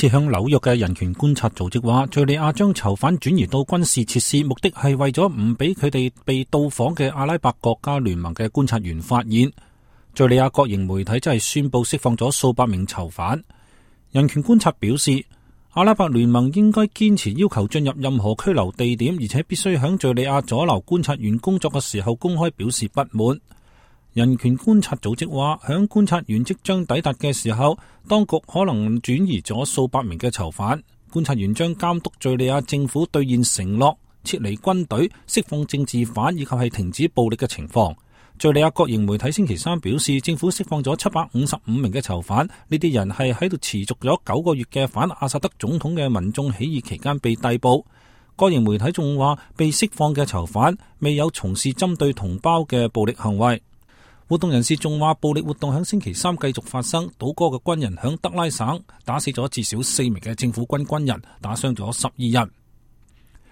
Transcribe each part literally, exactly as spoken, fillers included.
次向紐約嘅人權觀察組織話，敘利亞將囚犯轉移到軍事設施，目的係為咗唔俾佢哋被到訪嘅阿拉伯國家聯盟嘅觀察員發現。敘利亞國營媒體真係宣布釋放咗數百名囚犯。人權觀察表示，阿拉伯聯盟應該堅持要求進入任何拘留地點，而且必須響敘利亞阻撓觀察員工作嘅時候公開表示不滿。人權觀察組織話，響觀察員即將抵達嘅時候，當局可能轉移咗數百名嘅囚犯。觀察員將監督敘利亞政府兌現承諾，撤離軍隊、釋放政治犯以及係停止暴力嘅情況。敘利亞國營媒體星期三表示，政府釋放咗七百五十五名嘅囚犯，呢啲人係喺度持續咗九個月嘅反阿薩德總統嘅民眾起義期間被逮捕。國營媒體仲話，被釋放嘅囚犯未有從事針對同胞嘅暴力行為。活動人士仲話，暴力活動響星期三繼續發生，倒戈嘅軍人響德拉省打死咗至少四名嘅政府軍軍人，打傷咗十二人。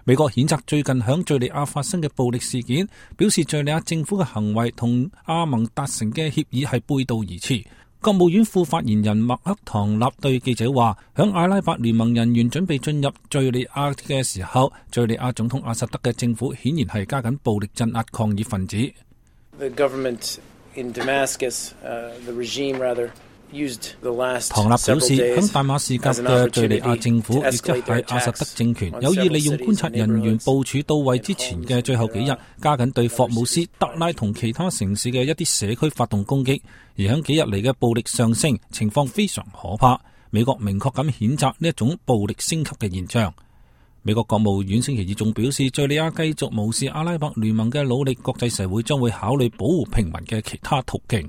美國譴責最近響敘利亞發生嘅暴力事件，表示敘利亞政府嘅行為同阿盟達成嘅協議係背道而馳。國務院副發言人麥克唐納對記者話，響阿拉伯聯盟人員準備進入敘利亞嘅時候，敘利亞總統阿薩德嘅政府顯然係加緊暴力鎮壓抗議分子。The government in Damascus, uh, the regime rather, used the last 唐納表示，響大馬士革嘅敘利亞政府，亦即係阿薩德政權，有意利用觀察人員部署到位之前嘅最後幾日，加緊對霍姆斯、德拉同其他城市嘅一啲社區發動攻擊，而響幾日嚟嘅暴力上升，情況非常可怕。美國明確咁譴責呢一種暴力升級嘅現象。美國國務院星期二仲表示，敘利亞繼續無視阿拉伯聯盟嘅努力，國際社會將會考慮保護平民嘅其他途徑。